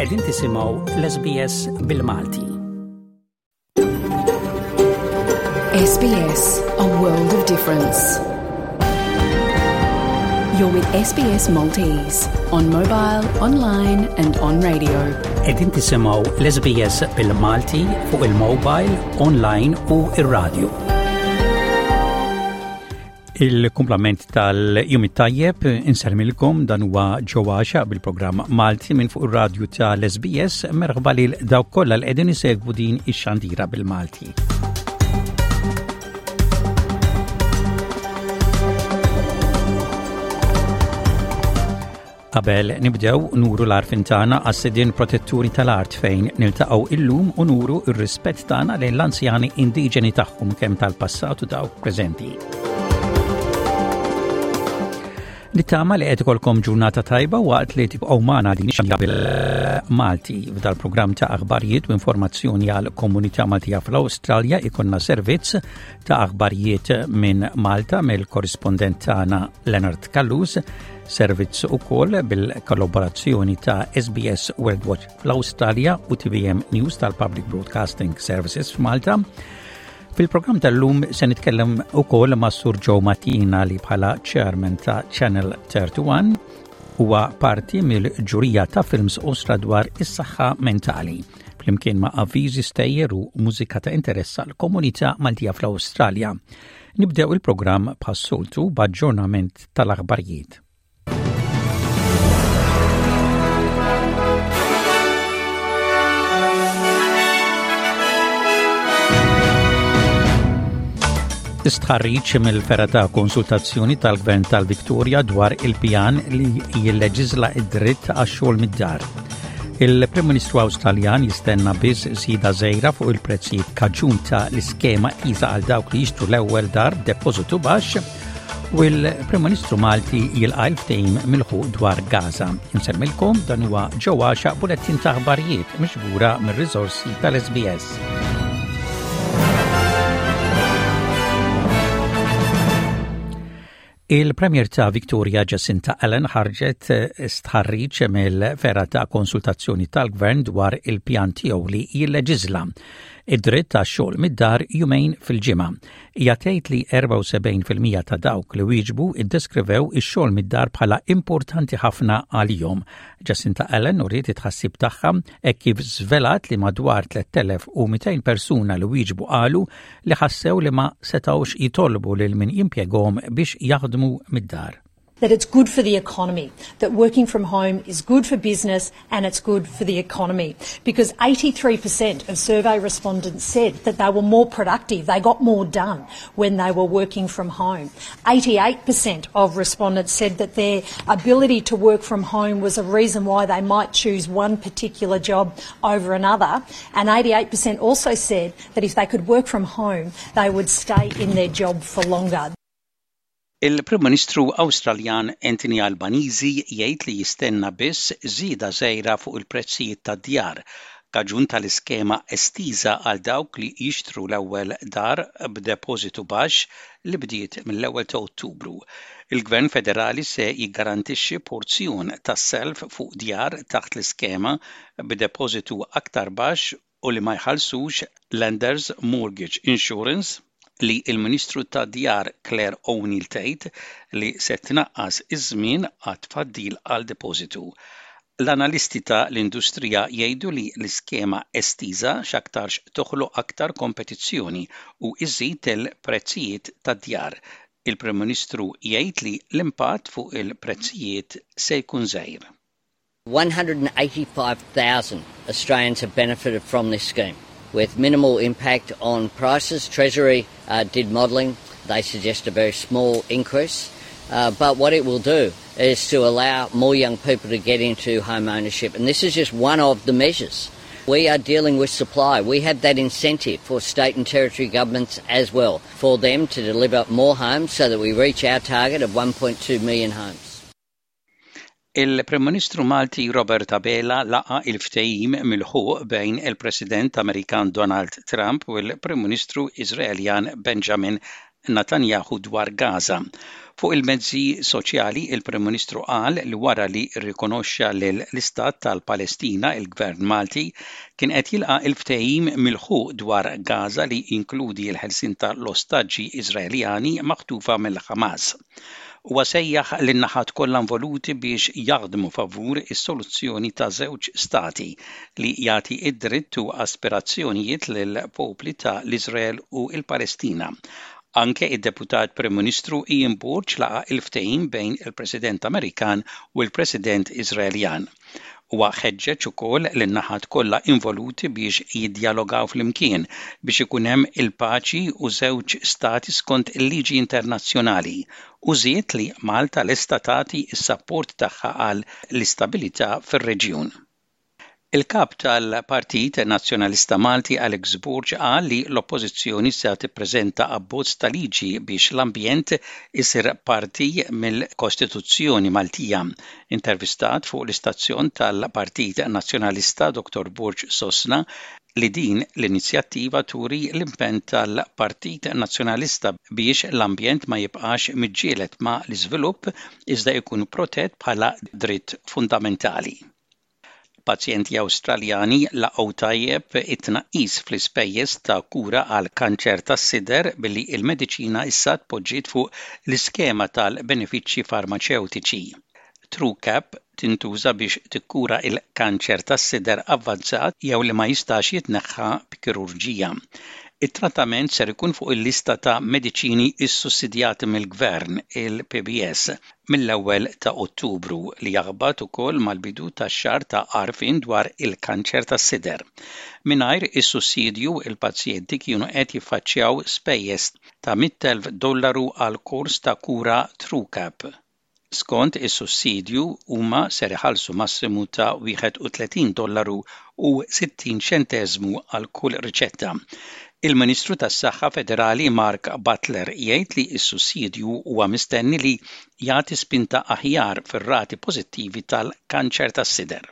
Qegħdin tisimgħu l-SBS bil-Malti. SBS, a world of difference. You're with SBS Maltese on mobile, online and on radio. Qegħdin tisimgħu l-SBS bil-Malti fuq il-mobile, online u ir-radio. Il-kumplament tal-jum it-tajjeb insermilkom dan huwa ġewwa bil-programm Malti minn fuq ir-radju tal-SBS merħba lil dawk kollha li qegħdin isegwu din ix-xandira bil-Malti. Qabel nibdew nuru l-għarfien tagħna għas-sidien protetturi tal-art fejn niltaqgħu illum u nuru r-rispett tagħna lejn l-anzjani indiġeni tagħhom kemm tal-passat u dawk preżenti. Nittama li qed ikolkom ġurnata tajba waqt li tibqgħu magħna din ix bil-Malti. F'dal-programm ta' aħbarijiet u informazzjoni għal komunità Maltija fl-Awstralja ikonna servizz ta' aħbarijiet minn Malta mill-korrispondent tagħna Leonard Callus, servizz ukoll bil-kollaborazzjoni ta' SBS World Watch fl-Awstralja u TVM News tal-Public Broadcasting Services f'Malta. Fil-programm tal-lum se nitkellem ukoll ma' Sur Joe Matina li bħala chairman ta' Channel 31 huwa parti mill-ġurija ta' films osra dwar is-saħħa mentali flimkien ma' avviżi stejjer u mużika ta' interess għal komunità Maltija fl-Awstralja. Nibdew il-programm bħas-soltu b'aġġornament tal-aħbarijiet. Istħarriġ mill-fergħa ta' konsultazzjoni tal-Gvern tal-Victoria dwar il-pjan li jilleġiżla id-dritt għax-xogħol mid-dar. Il-Prim Ministru Awstraljan jistenna biss żieda żgħira fuq il-prezzijiet kaġun ta' l-iskema qisa għal dawk li jixtru l-ewwel dar b'depożitu baxx u l-Prim Ministru Malti jilqa' l-ftehim milħuq dwar Gaza. Insemmilkom dan huwa ġewwa xaq bulettin ta' aħbarijiet miġbura mir-riżorsi tal-SBS. Il-Premier ta' Victoria Jacinta Allen ħarġet eh, stħarriġ mill-fergħa ta' konsultazzjoni tal-Gvern dwar il-pjan tiegħu li jilleġiżla id-dritt ta' xogħol mid-dar jumejn fil-ġimgħa. Hija tgħid li 74 fil-mija ta' dawk li wieġbu iddeskrivew ix-xogħol mid-dar bħala importanti ħafna għalihom. Jacinta Allen uriet it-tħassib tagħha hekk kif żvelat li madwar 3,200 persuna li wieġbu qalu li ħassew li ma setgħux jitolbu lil min jimpjegahom biex jaħdmu mid-dar. that it's good for the economy, that working from home is good for business and it's good for the economy. Because 83% of survey respondents said that they were more productive, they got more done when they were working from home. 88% of respondents said that their ability to work from home was a reason why they might choose one particular job over another. And 88% also said that if they could work from home, they would stay in their job for longer. Il-Prim Ministru Awstraljan Anthony Albanese jgħid li jistenna biss żieda żgħira fuq il-prezzijiet tad-djar kaġun tal-iskema estiża għal dawk li jixtru l-ewwel dar b'depożitu baxx li bdiet mill-ewwel ta' Ottubru. Il-Gvern Federali se jiggarantixxi porzjon tas-self fuq djar taħt l-iskema b'depożitu aktar baxx u li ma jħallsux Lenders Mortgage Insurance, li l-Ministru tad-Djar Clare O'Neil tgħid li se tnaqqas iż-żmien għat-tfaddil għal depożitu. L-analisti ta' l-industrija jgħidu li l-iskema estiża x'aktarx toħloq aktar kompetizzjoni u iżżid il-prezzijiet tad-djar. Il-Prim Ministru jgħid li l-impatt fuq il-prezzijiet se jkun żgħir. 185,000 Australians have benefited from this scheme with minimal impact on prices. Treasury uh, did modelling. They suggest a very small increase. Uh, but what it will do is to allow more young people to get into home ownership. And this is just one of the measures. We are dealing with supply. We have that incentive for state and territory governments as well, for them to deliver more homes so that we reach our target of 1.2 million homes. Il-Prim Ministru Malti Robert Abela laqa' il-ftehim milħuq bejn il-President Amerikan Donald Trump u l-Prim Ministru Iżraeljan Benjamin Netanyahu dwar Gaza. Fuq il-mezzi soċjali, il-Prim Ministru qal li wara li rrikonoxxa lill-Istat tal-Palestina, il-Gvern Malti kien qed jilqa' l-ftehim milħuq dwar Gaza li jinkludi l-ħelsien ta' l-ostaġġi Iżraeljani maħtufa mill-Ħamas. Huwa sejjaħ lin-naħat kollha involuti biex jaħdmu favur is-soluzzjoni ta' żewġ stati li jagħti d-dritt u aspirazzjonijiet lill-popli ta' l-Iżrael u l-Palestina. Anke id-Deputat Prim Ministru Ian Borg laqa' il-ftehim bejn il-President Amerikan u l-President Iżraeljan. Huwa ħeġġeġ ukoll lin-naħat kollha involuti biex jiddjalogaw flimkien biex ikun hemm il-paċi u żewġ stati skont il-liġi internazzjonali u żied li Malta lesta tagħti s-sapport tagħha għal l-istabilità fir-reġjun. Il-Kap tal-Partit Nazzjonalista Malti Alex Borg qal li l-Oppożizzjoni se tippreżenta abbozz ta' liġi biex l-ambjent isir parti mill-Kostituzzjoni Maltija. Intervistat fuq l-istazzjon tal-Partit Nazzjonalista, Dottor Borg sostna li din l-inizjattiva turi l-impenn tal-Partit Nazzjonalista biex l-ambjent ma jibqax miġġieled ma' l-iżvilupp iżda jkun protett bħala dritt fundamentali. Pazjenti Awstraljani laqgħu tajjeb it-tnaqqis fl-ispejjeż ta' kura għal kanċer tas-sider billi l-mediċina issa tpoġġiet fuq l-iskema tal-benefiċċji farmaċewtiċi. Truqap tintuża biex tikkura l-kanċer tas-sider avvanzat jew li ma jistax jitneħħa b'kirurġija. It-trattament ser ikun fuq il-lista ta' mediċini ssussidjati mill-Gvern, il-PBS, mill-ewwel ta' Ottubru, li jaħbat ukoll mal-bidu tax-xahar ta' għarfien dwar il-kanċer tas-sider. Mingħajr is-sussidju, il-pazjenti kienu qed jiffaċċjaw spejjeż ta' 100,000 dollaru għal kors ta' kura Truqap. Skont is-sussidju, huma ser iħallsu massimu ta' 31 dollaru u 60 ċenteżmu għal kull riċetta. Il-Ministru tas-Saħħa Federali Mark Butler jgħid li s-sussidju huwa mistenni li jagħti spinta aħjar fir-rati pożittivi tal-kanċer tas-sider.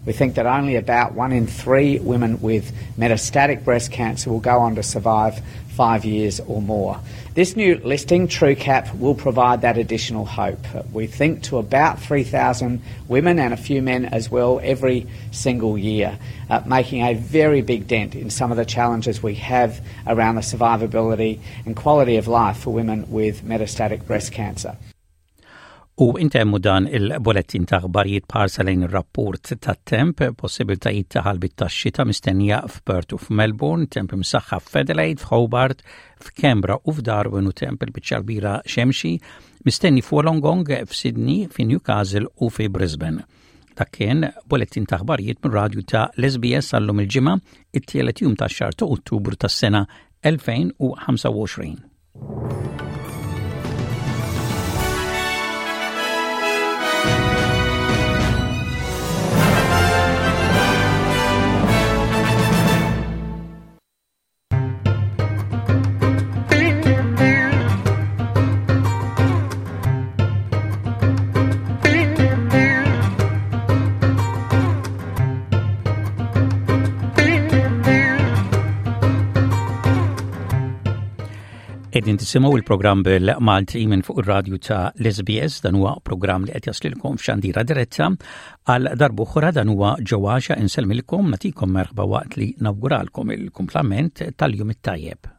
We think that only about one in three women with metastatic breast cancer will go on to survive five years or more. This new listing, Truqap, will provide that additional hope. We think to about 3,000 women and a few men as well every single year, uh, making a very big dent in some of the challenges we have around the survivability and quality of life for women with metastatic breast cancer. U intemmu dan il-bolettin ta' aħbarijiet b'ħarsa lejn ir-rapport tat-temp, possibiltajiet ta' ħalbit tax-xita mistennija f'Perth u f'Melbourne, temp imsaħħa f'Adelaide, f'Hobart, f'Canberra u f'Darwin u temp il-biċċa kbira xemxi mistenni f'Wollongong, f'Sydney, fi Newcastle u fi Brisbane. Dak kien bolettin ta' aħbarijiet mir-radju ta' l-SBS għallum il-ġimgħa, it-tielet jum tax-xahar ta' Ottubru tas-sena 2025. Qegħdin tisimgħu il-programm bil-Malti minn fuq ir-radju ta' l-SBS dan huwa programm li qed jaslilkom f'xandira diretta għal darb'oħra dan huwa ġewwaxa insellmilkom nagħtikom merħba waqt li nawguralkom il-kumplament tal-jum it-tajjeb.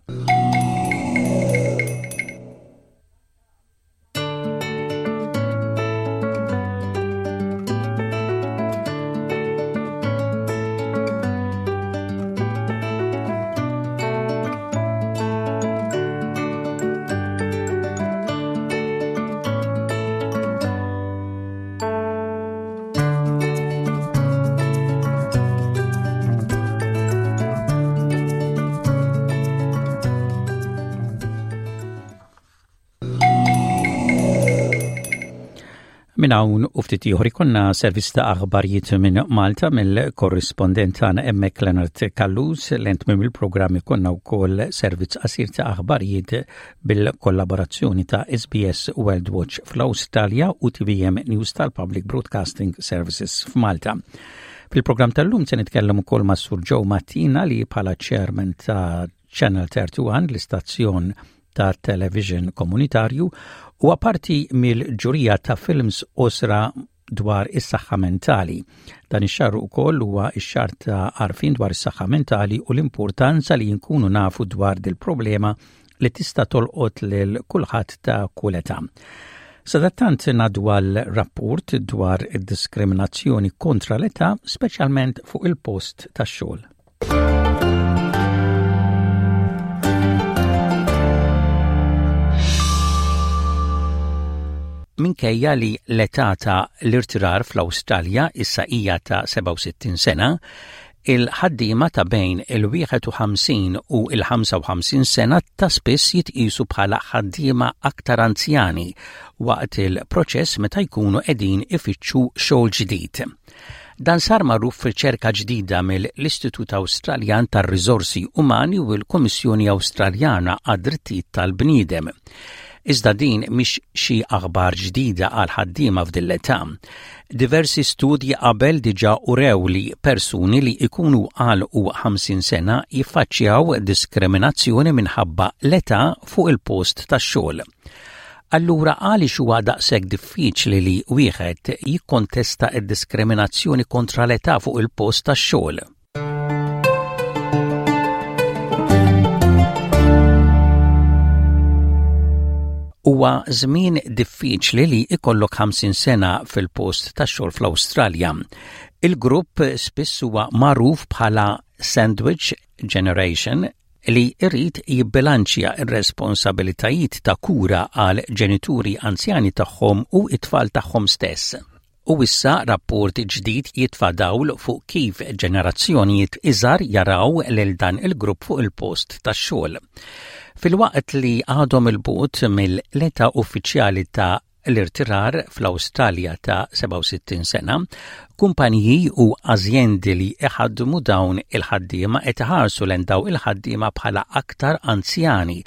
Minn hawn u ftit ieħor ikollna servizz ta' aħbarijiet minn Malta mill-korrispondent tagħna hemmhekk Leonard Callus lent minn il-programm ikollna wkoll servizz qasir ta' aħbarijiet bil-kollaborazzjoni ta' SBS World Watch fl-Awstralja u TVM News tal-Public Broadcasting Services f'Malta. Fil-programm tal-lum se nitkellem ukoll ma' Sur Joe Mattina li bħala chairman ta' Channel 31 l-istazzjon ta' television komunitarju huwa parti mill-ġurija ta' films qosra dwar is-saħħa mentali. Dan ix-xahar ukoll huwa x-xahar ta' għarfien dwar is-saħħa mentali u l-importanza li nkunu nafu dwar dil-problema li tista' tolqot lil kulħadd ta' kull età. Sadattant ngħaddu għal rapport dwar id-diskriminazzjoni kontra l-età, speċjalment fuq il-post tax-xogħol. Minkejja li l-età ta' l-irtirar fl-Awstralja issa hija ta' 67 sena, il-ħaddiema ta' bejn il-51 u l-55 sena ta' spiss jitqisu bħala ħaddiema aktar anzjani waqt il-proċess meta jkunu qegħdin ifittxu xogħol ġdid. Dan sar magħruf f'riċerka ġdida mill-Istitut Awstraljan tar-Riżorsi Umani u l-Kummissjoni Awstraljana għad-Drittijiet tal-Bniedem. Iżda din mhix xi aħbar ġdida għal ħaddiema f'din l-età. Diversi studji qabel diġà urew li persuni li jkunu għalqu 50 sena jiffaċċjaw diskriminazzjoni minħabba l-età fuq il-post tax-xogħol. Allura għaliex huwa daqshekk diffiċli li wieħed jikkontesta d-diskriminazzjoni kontra l-età fuq il-post tax-xogħol? Huwa żmien diffiċli li jkollok 50 sena fil-post tax-xogħol fl-Awstralja. Il-grupp spiss huwa magħruf bħala sandwich generation li jrid jibbilanċja r-responsabilitajiet ta' kura għal ġenituri anzjani tagħhom u t-tfal tagħhom stess. U issa rapport ġdid jitfa' dawl fuq kif ġenerazzjonijiet iżgħar jaraw lil dan il-grupp fuq il-post tax-xogħol. Filwaqt li għadhom 'il bogħod mill-età uffiċjali ta' l-irtirar fl-Awstralja ta' 67 sena, kumpaniji u azjendi li iħaddmu dawn il-ħaddiema qed iħarsu lejn dawn il-ħaddiema bħala aktar anzjani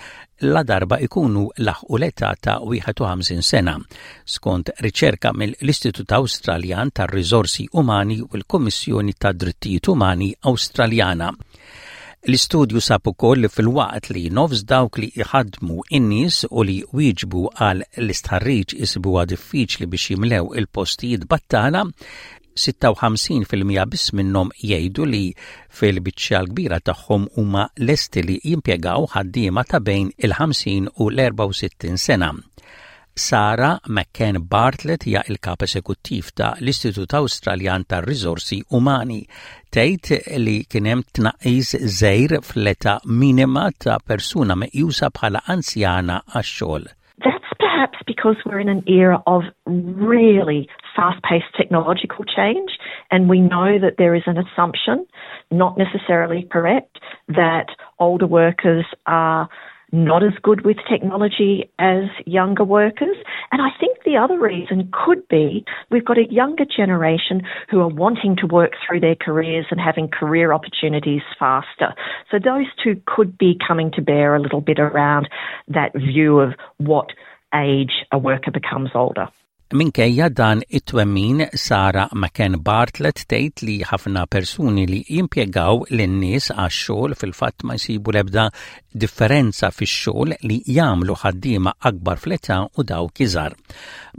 ladarba ikunu laħqu l-età ta' 51 sena, skont riċerka mill-Istitut Awstraljan tar-Riżorsi Umani u l-Kummissjoni tad-Drittijiet Umani Awstraljana. L-istudju sab ukoll li filwaqt li nofs dawk li jħaddmu n-nies u li wieġbu għal l-istħarriġ isibuha diffiċli biex jimlew il-postijiet battala, 56% biss minnhom jgħidu li fil-biċċa l-kbira tagħhom huma lesti li jimpjegaw ħaddiema ta' bejn il-50 u l-64 sena. Sarah McCann Bartlett hija l-Kap Esekuttiv ta' l-Istitut Awstraljan tar-Riżorsi Umani. Tgħid li kien hemm tnaqqis żgħir fl-età minima ta' persuna meqjusa bħala anzjana għax-xogħol. That's perhaps because we're in an era of really fast-paced technological change and we know that there is an assumption, not necessarily correct, that older workers are not as good with technology as younger workers. And I think the other reason could be we've got a younger generation who are wanting to work through their careers and having career opportunities faster. So those two could be coming to bear a little bit around that view of what age a worker becomes older. Minkejja dan it-twemmin, Sarah McCann Bartlett tgħid li ħafna persuni li jimpjegaw lin-nies għax-xogħol fil-fatt ma jsibu l-ebda differenza fix-xogħol li jagħmlu ħaddiema akbar fl-età u dawk iżgħar.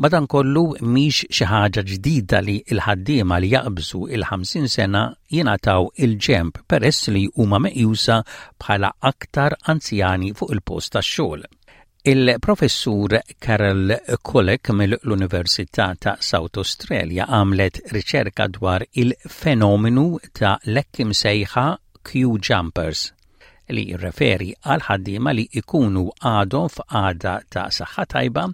Madankollu mhix xi ħaġa ġdida li l-ħaddiema li jaqbżu il-50 sena jingħataw il-ġenb peress li huma meqjusa bħala aktar anzjani fuq il-post tax-xogħol. Il-Professur Carol Kulik mill-Università ta' South Australia għamlet riċerka dwar il-fenomenu ta' l-hekk imsejħa queue jumpers li jirreferi għal ħaddiema li jkunu għadhom f'qagħda ta' saħħa tajba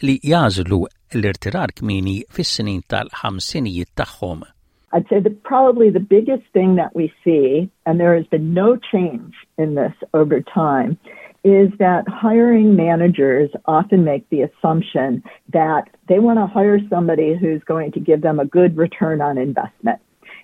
li jagħżlu l-irtirar kmieni fis-snin tal-ħamsinijiet tagħhom. I'd say that probably the biggest thing that we see, and there has been no change in this over time, is that hiring managers often make the assumption that they want to hire somebody who's going to give them a good return on investment.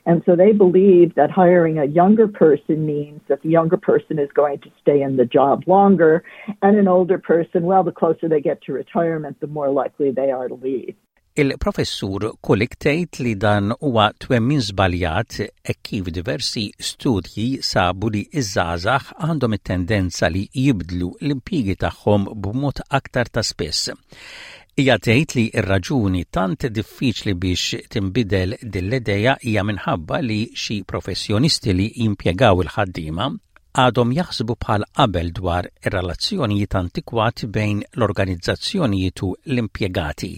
And so they believe that hiring a younger person means that the younger person is going to stay in the job longer, and an older person, well, the closer they get to retirement, the more likely they are to leave. Il-Professur Kulik tgħid li dan huwa twemmin żbaljat hekk kif diversi studji sabu li ż-żgħażagħ għandhom it-tendenza li jibdlu l-impjiegi tagħhom b'mod aktar ta' spiss. Hija tgħid li r-raġuni tant diffiċli biex tinbidel din l-idea hija minħabba li xi professjonisti li jimpjegaw il-ħaddiema għadhom jaħsbu bħal qabel dwar ir-relazzjonijiet antikwati bejn l-organizzazzjonijiet u l-impjegati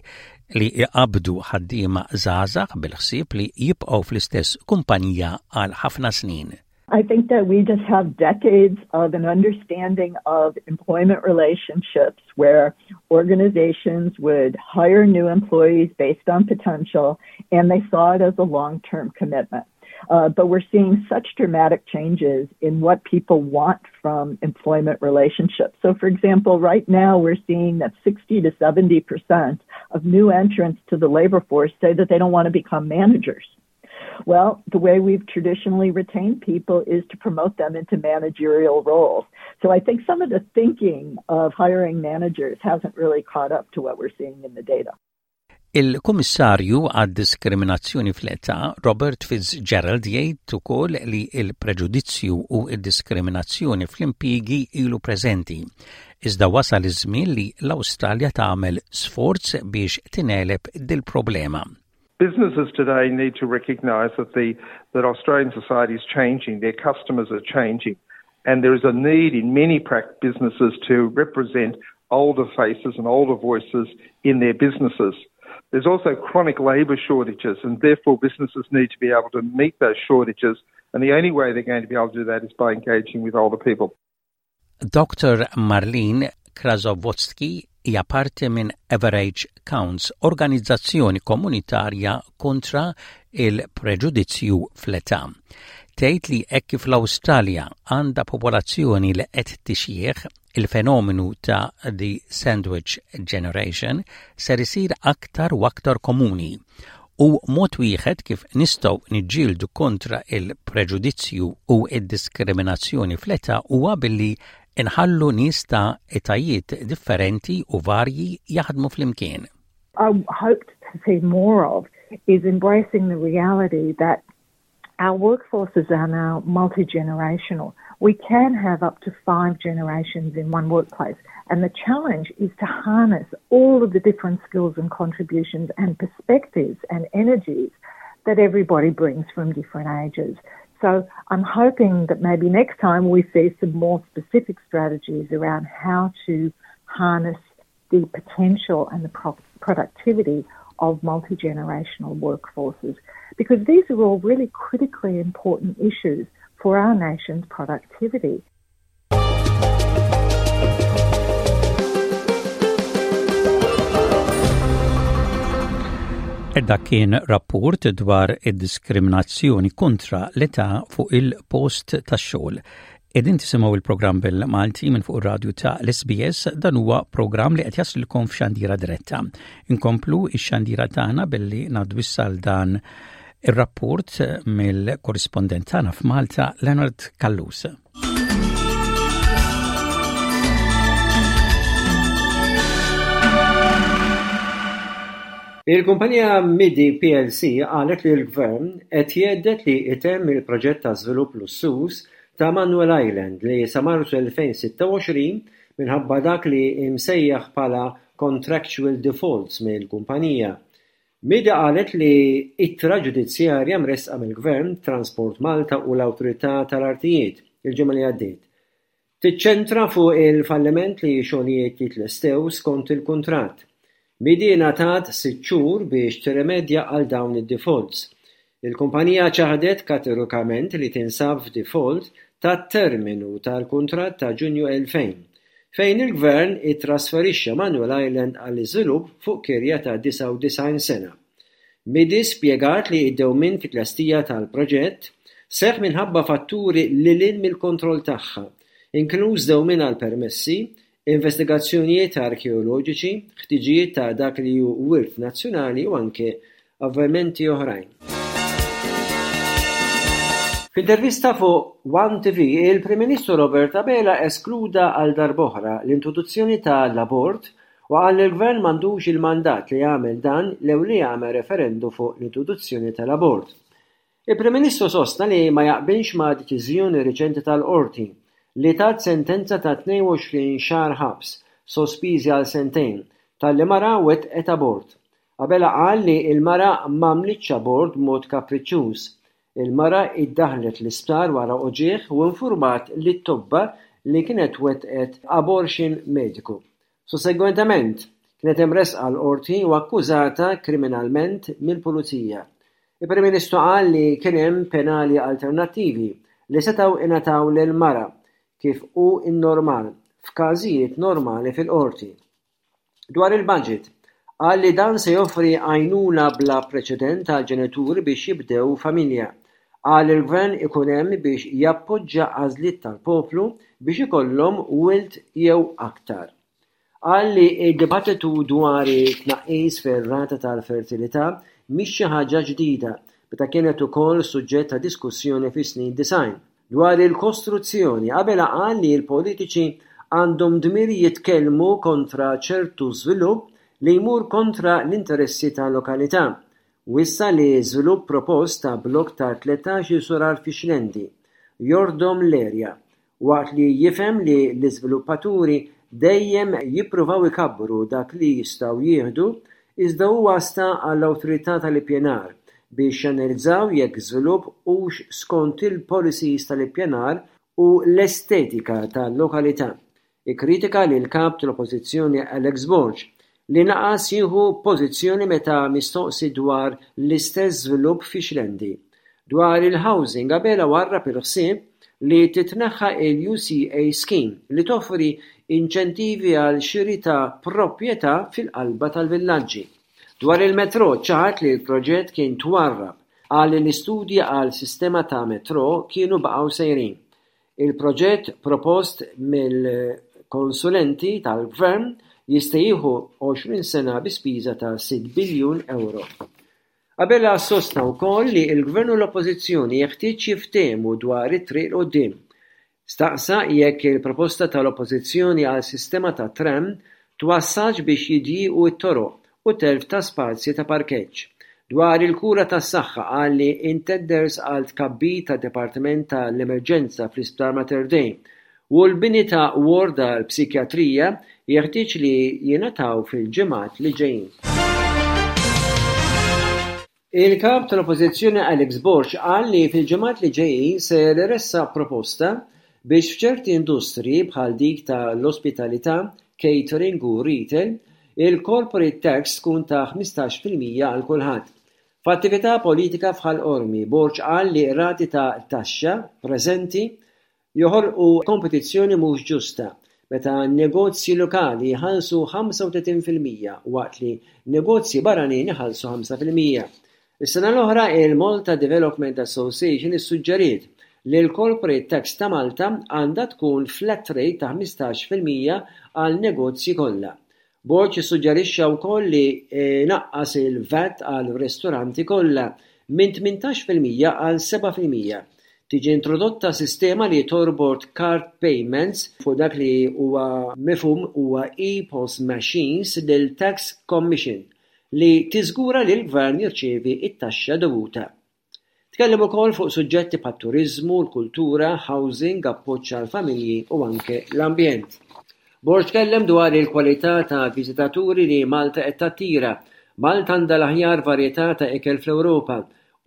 li jqabbdu ħaddiema żgħażagħ bil-ħsieb li jibqgħu fl-istess kumpanija għal ħafna snin. I think that we just have decades of an understanding of employment relationships where organizations would hire new employees based on potential and they saw it as a long-term commitment. Uh, but we're seeing such dramatic changes in what people want from employment relationships. So, for example, right now we're seeing that 60 to 70 percent of new entrants to the labor force say that they don't want to become managers. Well, the way we've traditionally retained people is to promote them into managerial roles. So I think some of the thinking of hiring managers hasn't really caught up to what we're seeing in the data. Il-Kummissarju għad-Diskriminazzjoni fl-Età, Robert Fitzgerald jgħid ukoll li l-preġudizzju u d-diskriminazzjoni fl-impjiegi ilu preżenti, iżda wasal iż-żmien li l-Awstralja tagħmel sforz biex tingħeleb dil-problema. Businesses today need to recognise that the that Australian society is changing, their customers are changing, and there is a need in many businesses to represent older faces and older voices in their businesses. There's also chronic labour shortages, and therefore businesses need to be able to meet those shortages. And the only way they're going to be able to do that is by engaging with older people. Dr. Marlene Krasovotski hija parti minn Average Counts, organizzazzjoni komunitarja kontra il-preġudizzju fl-età. Tgħid li hekk kif l-Awstralja għandha popolazzjoni li qed tixjieħ, il-fenomenu ta' the sandwich generation ser isir aktar u aktar komuni u mod wieħed kif nistgħu niġġieldu kontra il-preġudizzju u d-diskriminazzjoni fl-età huwa billi nħallu nies ta' etajiet differenti u varji jaħdmu flimkien. I hoped to see more of is embracing the reality that our workforces are now multi-generational. We can have up to five generations in one workplace. And the challenge is to harness all of the different skills and contributions and perspectives and energies that everybody brings from different ages. So I'm hoping that maybe next time we see some more specific strategies around how to harness the potential and the pro productivity of multi-generational workforces because these are all really critically important issues for our nation's productivity. Dak kien rapport dwar id-diskriminazzjoni kontra l-età fuq il-post tax-xogħol. Qegħdin tisimgħu il-programm bil-Malti minn fuq ir-radju ta' l-SBS, dan huwa programm li qed jaslilkom f'xandira diretta. Inkomplu ix-xandira tagħna billi ngħaddu issa għal dan ir-rapport mill-korrispondent tagħna f'Malta, Leonard Callus. Il-kumpanija Midi plc qalet li l-Gvern qed jhedded li jtemm il-proġett ta' żvilupp lussuż ta' Manuel Island li sa Marzu 2026 minħabba dak li imsejjaħ bħala contractual defaults mill-kumpanija. Midi qalet li ittra ġudizzjarja mressqa mill-Gvern, Transport Malta u l-Awtorità tal-Artijiet il-ġimgħa li għaddiet, tiċċentra fuq il-falliment li xogħlijiet jitlestew skont il-kuntratt. Midi ngħatat sitt xhur biex tirrimedja għal dawn id-defaults. Il-kumpanija ċaħdet kategorikament li tinsab f'default tat-terminu tal-kuntratt ta' Ġunju 2000, fejn il-Gvern ittrasferixxa Manuel Island għall-iżvilupp fuq kirja ta' 99 sena. Midi spjegat li d-dewmien fit-tlestija tal-proġett seħħ minħabba fatturi lil hinn mill-kontroll tagħha, inkluż dewmien għall-permessi, investigazzjonijiet arkeoloġiċi, ħtiġijiet ta' dak li hu wirt nazzjonali u anke avvenimenti oħrajn. F'intervista fuq One TV, il-Prim Ministru Robert Abela eskluda għal darb'oħra l-introduzzjoni ta' l-abort U qal li l-Gvern m'għandux il-mandat li jagħmel dan lew li jagħmel referendu fuq l-introduzzjoni tal-abort. Il-Prim Ministru sostna li ma jaqbilx ma' deċiżjoni riċenti tal-Qorti li tat sentenza ta' 22 xahar ħabs, sospiżi għal sentejn, talli mara wettqet abort. Abela qal li l-mara m'għamlitx abort b'mod kapriċċuż. Il-mara iddaħħlet l-isptar wara uġigħ u infurmat lit-tobba li kienet wettqet abortion mediku. Sussegwentement, kienet imressqa l-Qorti u akkużata kriminalment mill-Pulizija. Il-Prim Ministru qal li kien hemm penali alternattivi li setgħu ingħataw lill-mara, kif hu n-normal f'każijiet normali fil-Qorti. Dwar il-budget, qal li dan se joffri għajnuna bla preċedent għall-ġenituri biex jibdew familja. Qal li l-Gvern ikun hemm biex jappoġġa għażliet tal-poplu biex ikollhom wild jew aktar. Qal li d-dibattitu dwar it-tnaqqis fir-rata tal-fertilità mhix xi ħaġa ġdida meta kienet ukoll suġġett ta' diskussjoni fis-snin 90. Dwar il-kostruzzjoni, Abela qal li l-politiċi għandhom dmir jitkellmu kontra ċertu żvilupp li jmur kontra l-interessi tal-lokalità. Wissa li żvilupp propost ta' blokk ta' 13-il sular fix-Xlendi jordom l-erja, waqt li jifhem li l-iżviluppaturi dejjem jippruvaw ikabbru dak li jistgħu jieħdu iżda huwa sta għall-Awtorità tal-Ippjanar biex janalizzaw jekk żvilupp hux skont il-policies tal-ippjanar u l-estetika tal-lokalità. Ikkritika lill-Kap tal-Oppożizzjoni Alex Borg li naqas jieħu pożizzjoni meta mistoqsi dwar l-istess żvilupp fix-Xlendi. Dwar il-housing, Abela warrab il-ħsieb li titneħħa l-UCA scheme li toffri inċentivi għal xiri ta' proprjetà fil-qalba tal-villaġġi. Dwar il-metrò ċaħad li l-proġett kien twarrab. Qal li l-istudji għal sistema ta' metrò kienu baqgħu sejrin. Il-proġett propost mill-konsulenti tal-Gvern jista' jieħu 20 sena bi spiża ta' sitt biljun ewro. Abela sostna wkoll li l-Gvern u l-Oppożizzjoni jeħtieġ jiftehmu dwar it-triq 'l quddiem. Staqsa jekk il-proposta tal-Oppożizzjoni għal sistema ta' tram twassalx biex jidjiequ t-toroq u telf ta' spazji ta' parkeġġ. Dwar il-kura tas-saħħa qal li intenders għal tkabbir ta' dipartiment ta' l-emerġenza fl-Isptar Mater Dei u l-bini ta' ward għall-psikjatrija jeħtieġ li jingħataw fil-ġimgħat li ġejjin. Il-Kap tal-Oppożizzjoni Alex Borg qal li fil-ġimgħat li ġejjin ser iressaq proposta biex f'ċerti industriji bħal dik ta' l-ospitalità, catering u retail, il-corporate tax tkun ta' 15% għal kulħadd. F'attività politika f'Ħal Qormi, Borg qal li r-rati ta' taxxa preżenti joħolqu kompetizzjoni mhux ġusta, meta negozji lokali jħallsu 35% waqt li negozji barranin iħallsu 5%. Is-sena l-oħra il-Malta Development Association issuġġeriet li l-corporate tax ta' Malta għandha tkun flat rate ta' 15% għal negozji kollha. Borg issuġġerixxa wkoll li jnaqqas il-VAT għal ristoranti kollha minn 18% għal 7%. Tiġi introdotta sistema li torbot card payments fuq dak li huwa mifhum huwa e-POS machines lil Tax Commission li tiżgura li l-Gvern jirċievi t-taxxa dovuta. Tkellem ukoll fuq suġġetti bħat-turiżmu, l-kultura, housing, appoġġ għall-familji u anke l-ambjent. Borg tkellem dwar il-kwalità ta' viżitaturi li Malta qed tattira. Malta għandha l-aħjar varjetà ta' ikel fl-Ewropa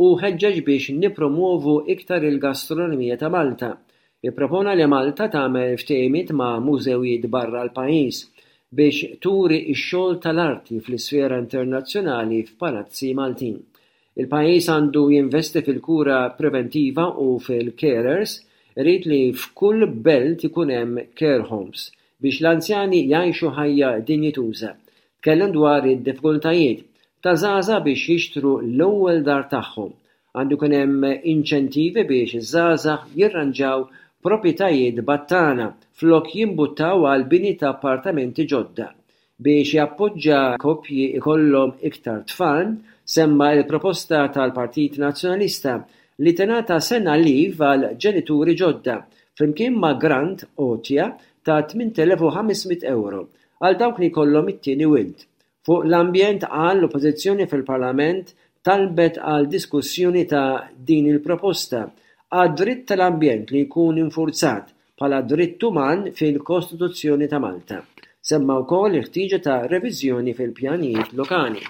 u ħeġġeġ biex nippromwovu iktar il-gastronomija ta' Malta. Ippropona li Malta tagħmel ftehimiet ma' mużewijiet barra l-pajjiż biex turi x-xogħol tal-arti fl-isfera internazzjonali f'palazzi Maltin. Il-pajjiż għandu jinvesti fil-kura preventiva u fil-carers, irid li f'kull belt ikun hemm care homes biex l-anzjani jgħixu ħajja dinjituża. Tkellem dwar id-diffikultajiet ta' żgħażagħ biex jixtru l-ewwel dar tagħhom. Għandu jkun hemm inċentivi biex iż-żgħażagħ jirranġaw proprjetajiet battala flok jimbuttaw għal bini ta' appartamenti ġodda. Biex jappoġġa koppji jkollhom iktar tfal, semma l-proposta tal-Partit Nazzjonalista li tingħata sena leave għal ġenituri ġodda, flimkien ma' grant, għotja, ta' 8,500 ewro. għal dawk li jkollhom it-tieni wild. Fuq l-ambjent qal l-Oppożizzjoni fil-Parlament talbet għal diskussjoni ta' din il-proposta għad-dritt tal-ambjent li jkun infurzat bħala dritt uman fil-Kostituzzjoni ta' Malta. Semma wkoll il-ħtieġa ta' reviżjoni fil-pjanijiet lokali.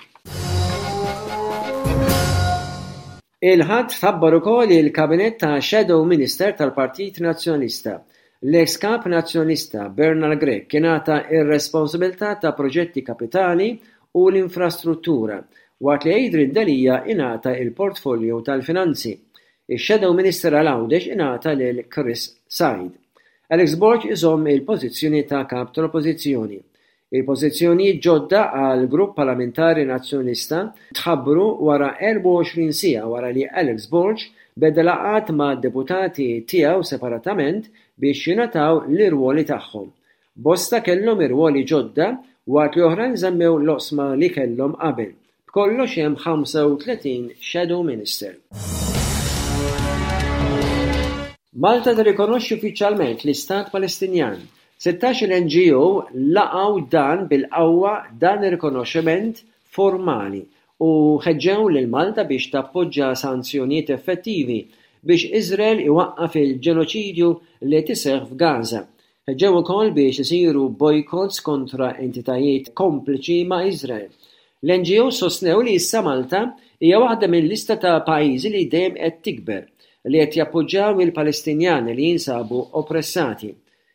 Il-Ħadd tħabbar ukoll il-Kabinett ta' Shadow Minister tal-Partit Nazzjonalista. L-eks Kap Nazzjonalista Bernard Grech ingħata r-responsabilità ta' proġetti kapitali u l-infrastruttura, waqt li Adrian Delia ingħata l-portfolio tal-Finanzi. Ix-Shadow Minister għal Għawdex ingħata lil Chris Said. Alex Borg iżomm il-pożizzjoni ta' Kap tal-Oppożizzjoni. Il-pożizzjonijiet ġodda għall-Grupp Parlamentari Nazzjonalista tħabbru wara 24 siegħa wara li Alex Borg beda laqgħat ma' deputati tiegħu separatament biex jingħataw l-irwoli tagħhom. Bosta kellhom irwoli ġodda waqt li oħrajn żammew l-oqsma li kellhom qabel. B'kollox hemm 35 Shadow Minister. Malta tirrikonoxxi uffiċjalment l-Istat Palestinjan. Sittax-il NGO laqgħu dan bil-qawwa dan ir-rikonoxximent formali u ħeġġew lil Malta biex tappoġġa sanzjonijiet effettivi biex Iżrael iwaqqaf il-ġenoċidju li qed iseħħ f'Gaza. Ħeġġew ukoll biex isiru bojkotts kontra entitajiet kompliċi ma' Iżrael. L-NGOs sostnew li issa Malta hija waħda minn lista ta' pajjiżi li dejjem qed tikber li qed jappoġġjaw il-Palestinjani li jinsabu oppressati.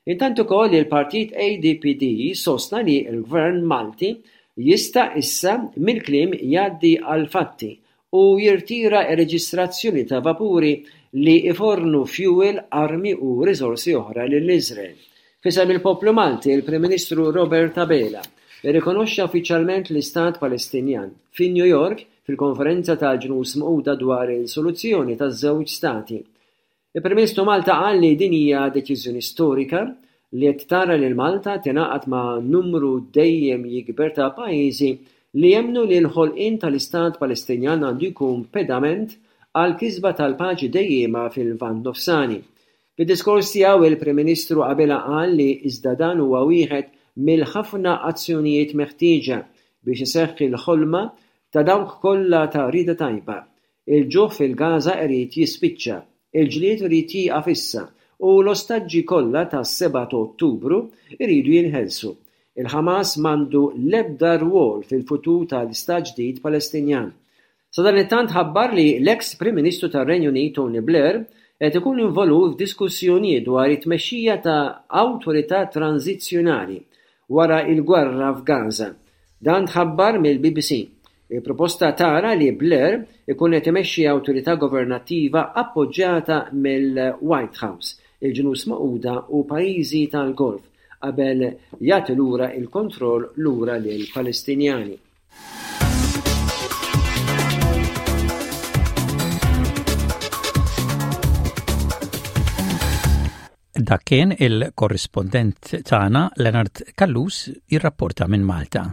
Intant ukoll il-Partit ADPD sostna li l-Gvern Malti jista' issa mill-kliem jgħaddi għall-fatti u jirtira r-reġistrazzjoni ta' vapuri li jfornu fjuwil, armi u riżorsi oħra lil Iżrael. F'isem il-poplu Malti, il-Prim Ministru Robert Abela rrikonoxxa uffiċjalment l-Istat Palestinjan fi New York fil-Konferenza tal-Ġnus Magħquda dwar il-Soluzzjoni taż-Żewġ Stati. Il-Prim Ministru Malta qal li din hija deċiżjoni storika li qed tara lil Malta tingħaqad ma' numru dejjem jikber ta' pajjiżi li jemmnu li l-ħolqien tal-Istat Palestinjan għandu jkun pedament għall-kisba tal-paċi dejjiema fil-Lvant Nofsani. Fid-diskors tiegħu il-Prim Ministru Abela qal li iżda dan huwa wieħed mill-ħafna azzjonijiet meħtieġa biex iseħħ il-ħolma ta' dawk kollha ta' rieda tajba Il-ġuħ fil-Gaża irid jispiċċa, il-ġlied irid jieqaf issa u l-ostaġġi kollha tas-sebgħa ta' Ottubru jridu jinħelsu. Il-Ħamas m'għandu l-ebda rwol fil-futur tal-Istat ġdid Palestinjan. Sadanittant ħabbar li l-eks Prim Ministru tar-Renju Unit Tony Blair qed ikun involut f'diskussjonijiet dwar it-tmexxija ta' awtorità tranżizzjonali wara l-gwerra f'Gaża. Dan tħabbar mill-BBC. Il-proposta tara li Blair ikun qed imexxi awtorità governattiva appoġġjata mill-White House, il-Ġnus Magħquda u pajjiżi tal-Golf qabel jagħti lura l-kontroll lura lill-Palestinjani. Dak kien il-korrispondent tagħna Leonard Callus jirrapporta minn Malta.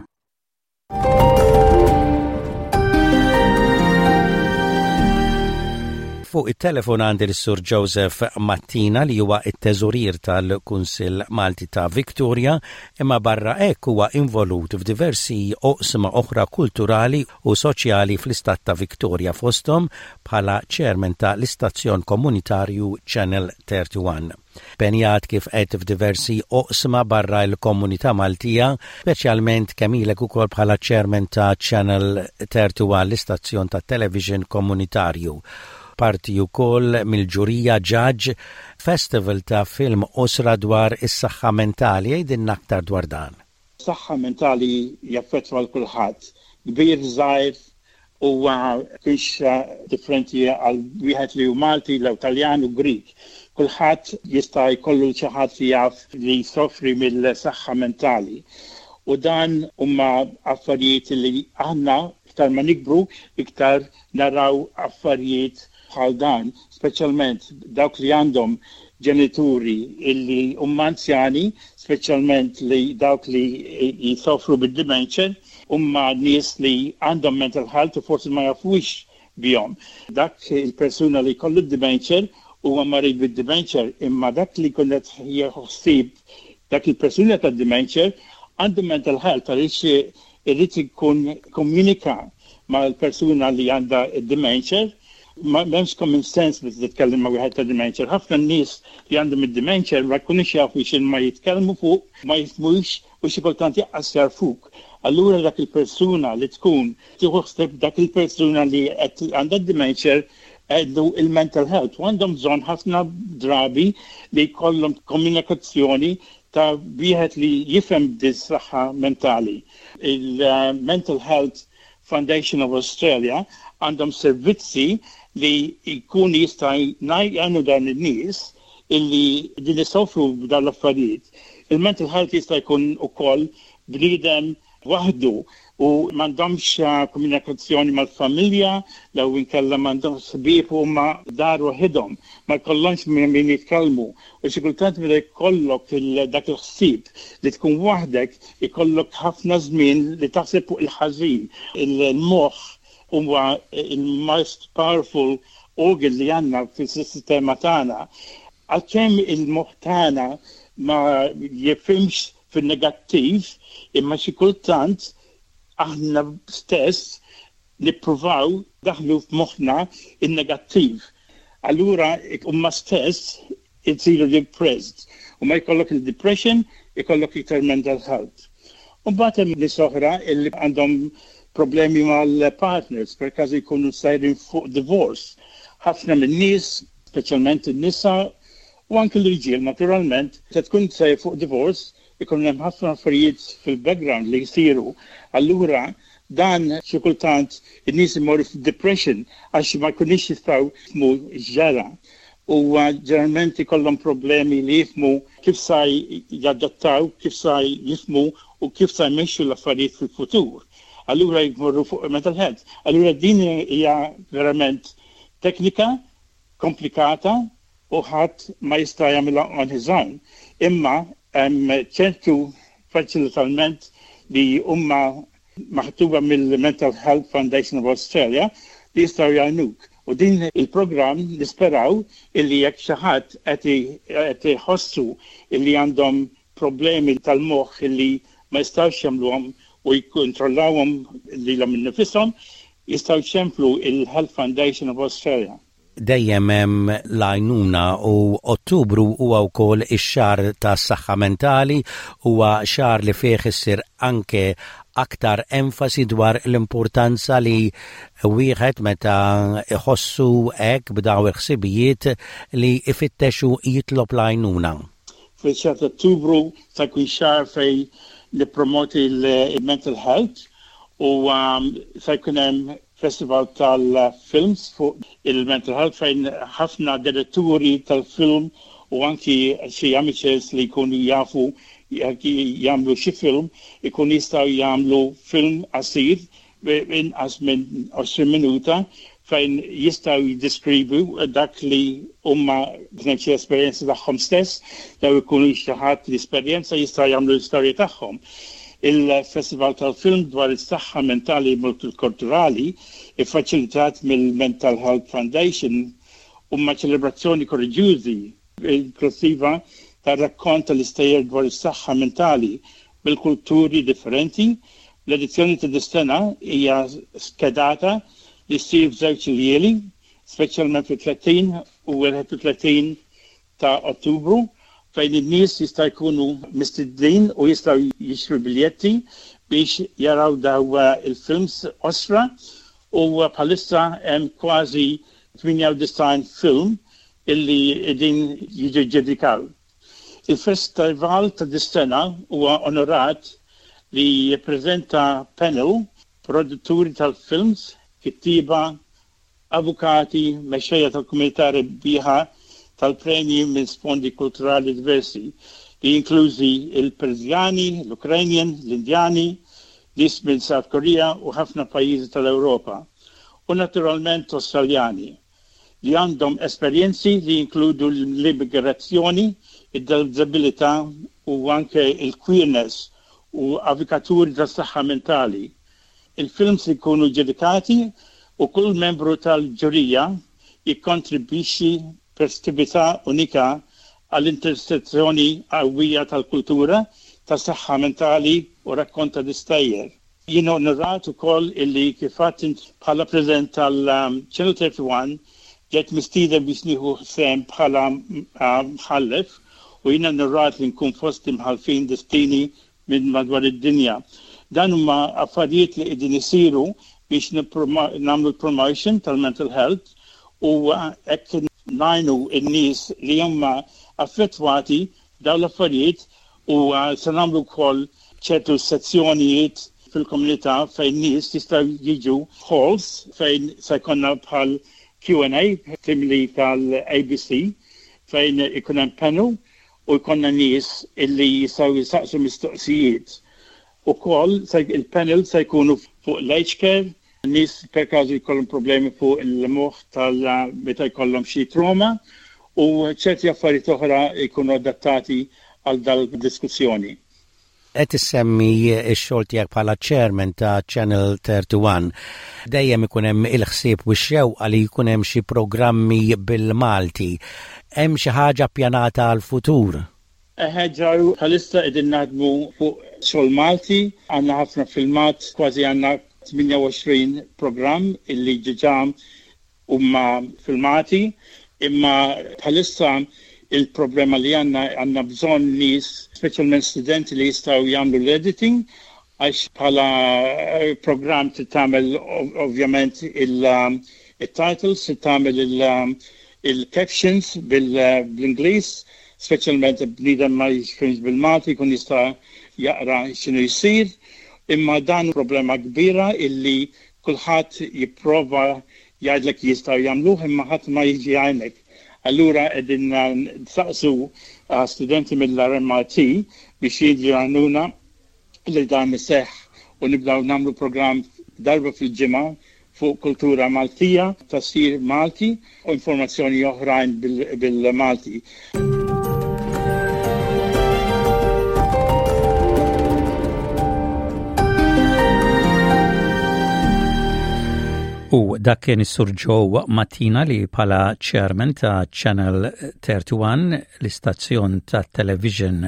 Fuq it-telefon għandi l-Sur Joseph Mattina li huwa t-teżorier tal-Kunsill Malti ta' Victoria imma barra hekk huwa involut f'diversi oqsma oħra kulturali u soċjali fl-istat ta' Victoria fosthom bħala chairman ta' l-istazzjon komunitarju Channel 31. Impenjat kif għedt f'diversi oqsma barra l-komunità Maltija, speċjalment kemm ilek ukoll bħala chairman ta' Channel 31 l-istazzjon tat-television komunitarju. Parti ukoll mill-ġurija Judge Festival ta' film qosra dwar is-saħħa mentali. Għidilna aktar dwar dan. Saħħa mentali jaffettwa 'l kulħadd, kbir, żgħir, Huwa kienx differenti għal wieħed li hu Malti, lew Taljan u Grieg. Kulħadd jista' jkollu xi ħadd li jaf li jsofri mill-saħħa mentali. U dan huma affarijiet li aħna iktar ma nikbru iktar naraw affarijiet bħal dan, speċjalment dawk li għandhom ġenituri illi huma anzjani, speċjalment li dawk li jsofru bid-dementia, huma nies li għandhom mental health u forsi ma jafux bihom. Dak il-persuna li jkollu d-dementia huwa marid bid-dementia, imma dak li jkun qed jieħu ħsieb dak il-persuna tad-dementia. Għandu mental health għaliex irid ikun komunika mal-persuna li għandha id-dementia. M'hemmx common sense meta titkellem ma' wieħed ta' dementia. Ħafna nies li għandhom id-dementia ma jkunux jafu x'inhuma jitkellmu fuq, ma jifhmux u xi kultant jaqqas jagħrfuk. Allura dak il-persuna li tkun tieħu ħsieb dak il-persuna li qed għandha d-dementia għandu il-mental health u għandhom bżonn ħafna drabi li jkollhom komunikazzjoni ta' wieħed li jifhem dis-saħħa mentali. Il-Mental Health Foundation of Australia għandhom servizzi li jkunu jista' jgħinu dawn in-nies illi din isofru b'dawn l-affarijiet. Il-mental health jista' jkun ukoll bniedem waħdu u m'għandhomx komunikazzjoni mal-familja, jew inkella m'għandhomx ħbieb u huma dar waħidhom, ma jkollhomx ma' min jitkellmu. U xi kultant meta jkollok dak il-ħsieb li tkun waħdek, ikollok ħafna żmien li taħseb fuq il-ħażin. Il-moħħ huwa il-most powerful organ li għandna fis-sistema tagħna. Għalkemm il-moħħ tagħna ma jifhimx fin-negattiv, imma xi kultant aħna stess nippruvaw ndaħħlu f'moħħna n-negattiv. Allura huma stess isiru depressed u ma jkollok il-depression, ikollok iktar mental health. U mbagħad hemm nies oħra li għandhom problemi mal-partners, per każu jkunu sejrin fuq divorce. Ħafna min-nies, speċjalment in-nisa, U anki l-irġiel naturalment, se tkun sejjer fuq divorce, ikun hemm ħafna affarijiet fil-background li jsiru. Allura dan xi kultant in-nies imorru f'depression għax ma jkunux jistgħu jifhmu x'ġara. U ġeneralment ikollhom problemi li jifhmu kif sa jadattaw, kif sa jifhmu u kif sa jmexxu l-affarijiet fil-futur. Allura jmorru fuq mental health. Allura din hija verament teknika komplikata u ħadd ma jista' jagħmilha on his own, imma hemm ċertu faċilitalment li huma maħtuba mill-Mental Health Foundation of Australia li jistgħu jgħinuk. U din il-programm nisperaw illi jekk xi ħadd qed iħossu illi għandhom problemi tal-moħħ illi ma jistgħux jagħmluhom u jikkontrollawhom lilhom innifishom, jistgħu jċemplu il-Health Foundation of Australia. Dejjem hemm l-għajnuna u Ottubru huwa wkoll ix-xahar tas-saħħa mentali, huwa xahar li fih issir anke aktar enfasi dwar l-importanza li wieħed meta iħossu hekk b'daw il-ħsibijiet li ifittex u jitlob l-għajnuna. Fil-xahar ta' Ottubru se jkun xahar fejn nippromoti l-mental health u se jkun hemm Festival tal-films fuq il-mental health fejn ħafna diretturi tal-film u anki xi amateurs li jkunu jafu jagħmlu xi film ikunu jistgħu jagħmlu film qasir inqas minn 20 minuta fejn jistgħu jiddeskrivu dak li huma kien xi esperjenza tagħhom stess jew ikunu xi ħadd li esperjenza jistgħu jagħmlu l-istorja tagħhom. Il-Festival tal-Film dwar is-Saħħa Mentali Multikulturali, iffaċilitat mill-Mental Health Foundation, huma ċelebrazzjoni koraġġjużi, inklussiva tar-rakkont tal-istejjer dwar is-saħħa mentali mill-kulturi differenti. L-edizzjoni ta' dis-sena hija skedata li ssir f'żewġ iljieli, speċjalment fit-30 u 31 ta' Ottubru fejn in-nies jista' jkunu mistednin u jistgħu jixtru biljetti biex jaraw daw il-films qosra u bħalissa hemm kważi 98 film illi qegħdin jiġu ġġudikaw. Il-festival ta' dis-sena huwa onorat li jippreżenta panel produtturi tal-films, kittieba, avukati, mexxejja tal-komunità rebbieħa tal-premji minn sfondi kulturali diversi, li jinklużi l-Persjani, l-Ukrainian, l-Indjani, nies minn South Korea u ħafna pajjiżi tal-Ewropa, u naturalment Awstraljani, li għandhom esperjenzi li jinkludu l-immigrazzjoni, id-diżabilità u anke l-queerness u avukaturi tas-saħħa mentali. Il-films ikunu ġġudikati u kull membru tal-ġurija jikkontribwixxi perspettività unika għall-intersezzjoni qawwija tal-kultura, tas-saħħa mentali u rakkonta l-istejjer. Jien onorat ukoll illi kif għedt int bħala President tal-Channel 31 ġejt mistieden biex nieħu sehem bħala mħallef u jiena onorat li nkun fost imħallfin destini minn madwar id-dinja. Dan huma affarijiet li qegħdin isiru biex nagħmlu l-promotion tal-mental health u hekk ngħinu n-nies li huma affettwati b'dawn l-affarijiet u se nagħmlu wkoll ċertu sezzjonijiet fil-komunità fejn nies jistgħu jiġu halls fejn se jkollna bħal Q&A simili tal-ABC fejn ikun hemm panel u jkollna nies illi jistgħu jistaqsu mistoqsijiet. Ukoll il-panel se jkunu fuq l-aged care, nies per każu jkollhom problemi fuq il-moħħ tal meta jkollhom xi trauma u ċerti affarijiet oħra jkunu adattati għal dal-diskussjoni. Qed issemmi x-xogħol tiegħek bħala chairman ta' Channel 31. Dejjem ikun hemm il-ħsieb u x-xewqa li jkun hemm xi programmi bil-Malti. Hemm xi ħaġa ppjanata għall-futur? Eħe Joe, bħalissa qegħdin naħdmu fuq xogħol Malti, għandna ħafna filmat, kważi għandna 28 programm illi ġiġa huma filmati, imma bħalissa il-problema li għandna għandna bżonn nies, speċjalment studenti li jistgħu jagħmlu l-editing għax bħala programm trid tagħmel ovvjament il-titles, trid tagħmel il-captions bl-Ingliż, speċjalment bniedem ma jifhimx bil-Malti jkun jista' jaqra x'inhu jsir. Imma dan problema kbira illi kulħadd jipprova jgħidlek jistgħu jagħmluh imma ħadd ma jiġi jgħinek. Allura qegħdin nsaqsu studenti mill-RMIT biex jiġu jgħinuna li dan iseħħ u nibdew nagħmlu programm darba fil-ġimgħa fuq kultura Maltija, tafsir Malti u informazzjoni oħrajn bil-Malti. U dak kien is-Sur Joe Mattina li bħala chairman ta' Channel 31, l-istazzjon ta' television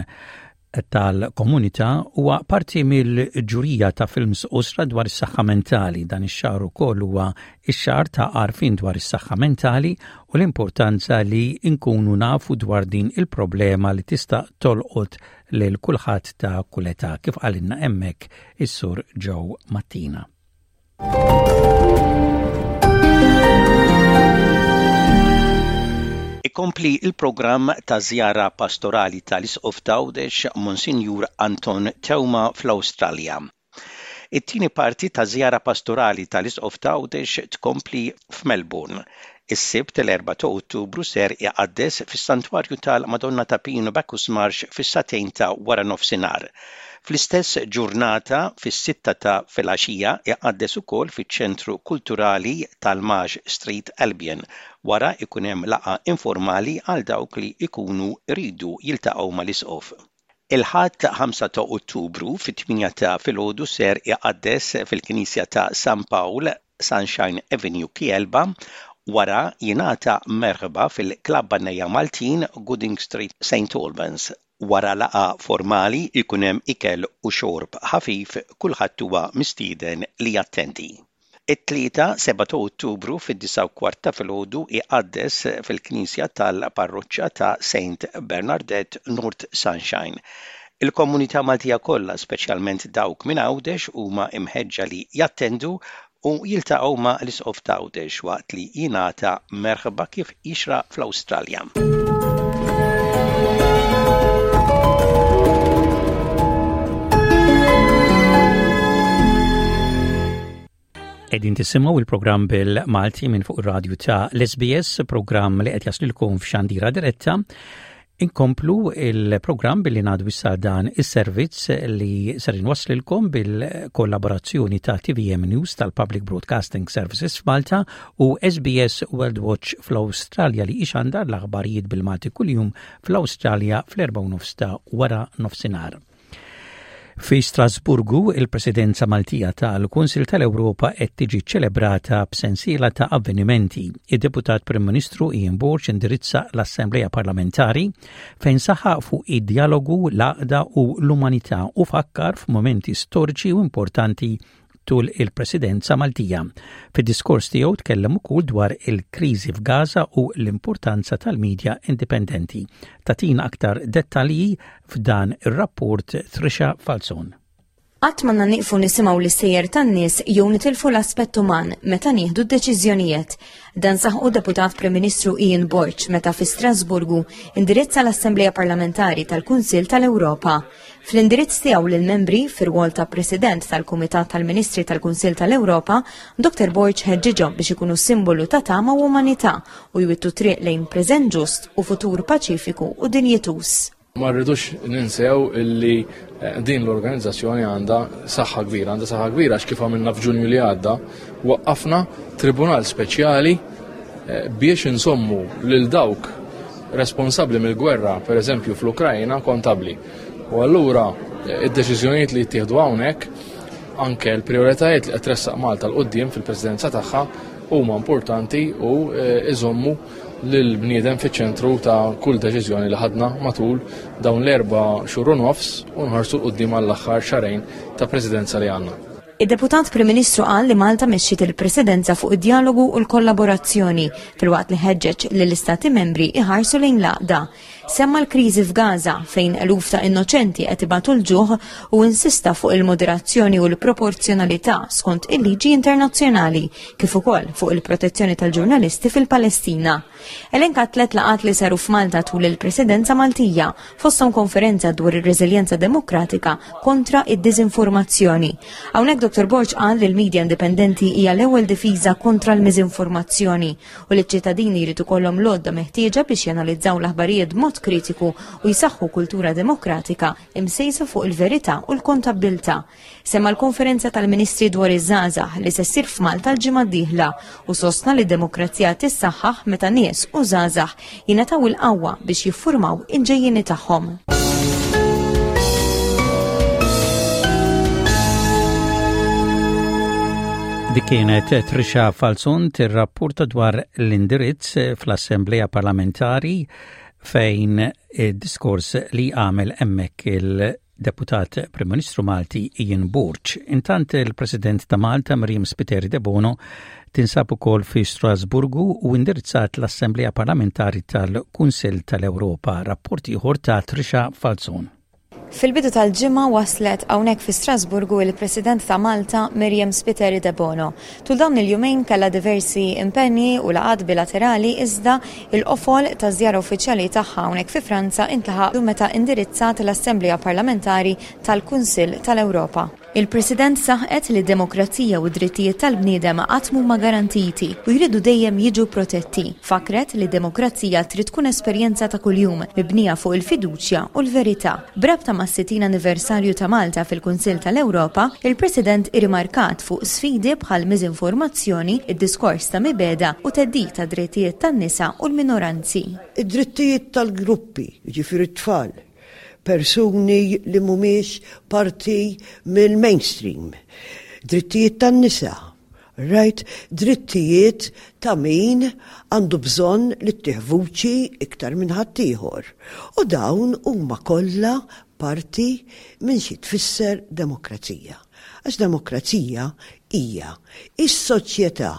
tal-komunità huwa parti mill-ġurija ta' films qosra dwar is-saħħa mentali. Dan ix-xahar ukoll huwa x-xahar ta' għarfien dwar is-saħħa mentali u l-importanza li nkunu nafu dwar din il-problema li tista' tolqot lil kulħadd ta' kull età, kif qalilna hemmhekk is-Sur Joe Mattina. Ikompli il-programm ta' żjara pastorali tal-Isqof t'Għawdex Monsinjur Anton Teuma fl-Awstralja. It-tieni parti ta' żjara pastorali tal-Isqof t'Għawdex tkompli f'Melbourne. Is-Sibt l-4 ta' Ottubru ser iqaddes fis-Santwarju tal-Madonna ta' Pinu Bacchus Marsh fis-sagħtejn ta' wara nofsinhar. Fl-istess ġurnata, fis-sitta ta' filgħaxija, iqaddes ukoll fiċ-Ċentru Kulturali tal-Marsh Street, Albion. Wara jkun hemm laqgħa informali għal dawk li jkunu jridu jiltaqgħu mal-Isqof. Il-Ħadd 5 ta' Ottubru fit-tmienja ta' filgħodu ser iqaddes fil-Knisja ta' San Pawl, Sunshine Avenue, Kielba, wara jingħata merħba fil-Klabb Għannejja Maltin, Gooding Street, St Albans. Wara laqgħa formali jkun hemm ikel u xorb ħafif, kulħadd huwa mistieden li jattendi. It-Tlieta, 7 ta' Ottubru, fid-disgħa u kwart ta' filgħodu iqaddes fil-Knisja tal-Parroċċa ta' Saint Bernardette, North Sunshine. Il-komunità Maltija kollha, speċjalment dawk minn Għawdex, huma imħeġġa li jattendu u jiltaqgħu ma' l-Isqof t'Għawdex waqt li jingħata merħba kif jixraq fl-Awstralja. Qegħdin tisimgħu il-programm bil-Malti minn fuq ir-radju ta' l-SBS, programm li qed jaslilkom f'xandira diretta. Inkomplu il-programm billi ngħadu issa dan is-servizz li ser inwasslilkom bil-kollaborazzjoni ta' TVM News tal-Public Broadcasting Services f'Malta u SBS World Watch fl-Awstralja li ixandar l-aħbarijiet bil-Malti kuljum fl-Awstralja fl-4 nofs ta' wara nofsinhar. Fi Strasburgu, il-Presidenza Maltija tal-Kunsil tal-Ewropa qed tiġi ċċelebrata b'sensiela ta' avvenimenti. Id-Deputat Prim Ministru Ian Borg indirizza l-Assemblea Parlamentari fejn saħaq fuq id-djalogu, l-għaqda u l-umanità u fakkar f'mumenti storiċi u importanti tul il-Presidenza Maltija. Fid-diskors tiegħu tkellem ukoll dwar il-kriżi f'Gaza u l-importanza tal-medja indipendenti. Tatina aktar dettalji f'dan ir-rapport Trisha Falzon. Qatt m'għandna nieqfu nisimgħu l-istejjer tan-nies jew nitilfu l-aspett uman meta nieħdu d-deċiżjonijiet. Dan saħqu Deputat Prim Ministru Ian Borg meta fi Strasburgu indirizza l-Assemblea Parlamentari tal-Kunsill tal-Ewropa. Fl-indirizz tiegħu lill-membri fir-rwol ta' President tal-Kumitat tal-Ministri tal-Kunsill tal-Ewropa, Dr. Borg ħeġġiġhom biex ikunu simbolu ta' tama u umanità u jwittu triq lejn preżent ġust u futur paċifiku u dinjituż. Ma rridux ninsew illi eh, din l-organizzazzjoni għandha saħħa kbira, għandha saħħa kbira għax kif għamilna f'Ġunju li għadda, waqqafna tribunal speċjali eh, biex insommu lil dawk responsabbli mill-gwerra, per eżempju fl-Ukrajna, kontabli. U allura eh, id-deċiżjonijiet li jittieħdu hawnhekk anke l-prioritajiet li qed tressaq Malta l qudiem fil-presidenza tagħha huma importanti u iżommu lill-bniedem fiċ-ċentru ta' kull deċiżjoni li ħadna matul dawn l-erba' xhur u nofs u nħarsu 'l quddiem għall-aħħar xahrejn ta' Presidenza li għandna. Id-Deputat Prim Ministru qal li Malta mexxiet il-Presidenza fuq id-djalogu u l-kollaborazzjoni filwaqt li ħeġġeġ lill-Istati Membri iħarsu lejn l-għaqda. Semma l-kriżi f'Gaza fejn eluf ta' innoċenti qed ibatu l-ġuħ u insista fuq il-moderazzjoni u l-proporzjonalità skont il-liġi internazzjonali kif ukoll fuq il-protezzjoni tal-ġurnalisti fil-Palestina. Elenka tlet laqat li saru f'Malta tul il-Presidenza Maltija, fosthom konferenza dwar ir-reżiljenza demokratika kontra id-diżinformazzjoni. Hawnhekk Dr. Borg qal li l-medja indipendenti hija l-ewwel difiża kontra l-miżinformazzjoni u li ċ-ċittadini jrid ikollhom l-għodda meħtieġa biex janalizzaw l-aħbarijiet b'mod kritiku u jsaħħu kultura demokratika imsejsa fuq il-verità u l-kontabbiltà. Semma l-konferenza tal-Ministri dwar iż-żgħażagħ li se ssir f'Malta l-ġimgħa d-dieħla u sostna li d-demokrazija tissaħħaħ meta nies u żgħażagħ jingħataw il-qawwa biex jiffurmaw il-ġejjieni tagħhom. Dik kienet Trisha Falzon tirrapporta dwar l-indirizz fl-Assemblea Parlamentari fejn id-diskors li għamel hemmhekk il-Deputat Prim Ministru Malti Ian Borg. Intant il-President ta' Malta Miriam Spiteri Debono tinsab ukoll fi Strasburgu u indirizzat l-Assemblea Parlamentari tal-Kunsill tal-Ewropa. Rapport ieħor ta' Trisha Falzon. Fil-bidu tal-ġimgħa waslet hawnhekk fi Strasburgu il-President ta' Malta Miriam Spiteri Debono. Tul dawn il-jumejn kellha diversi impenji u laqgħat bilaterali iżda il-qofol taż-żjara uffiċjali tagħha hawnhekk fi Franza intlaħaq meta indirizzat l-Assemblea Parlamentari tal-Kunsill tal-Ewropa. Il-President saħqet li d-demokrazija u d-drittijiet tal-bniedem qatt m'huma garantiti u jridu dejjem jiġu protetti. Fakkret li d-demokrazija trid tkun esperjenza ta' kuljum, mibnija fuq il-fiduċja u l-verità. B'rabta mas-60 anniversarju ta' Malta fil-Kunsill tal-Ewropa, il-President irrimarkat fuq sfidi bħall-miżinformazzjoni, id-diskors ta' mibegħda u theddid għad-drittijiet tan-nisa u l-minoranzi. Id-drittijiet tal-gruppi, jiġifieri t-tfal, persuni li mhumiex parti mill-mainstream, drittijiet tan-nisa, right, drittijiet ta' min għandu bżonn li ttih vuċi iktar minn ħaddieħor. U dawn huma kollha parti minn xi tfisser demokrazija. Għax demokrazija hija is-soċjetà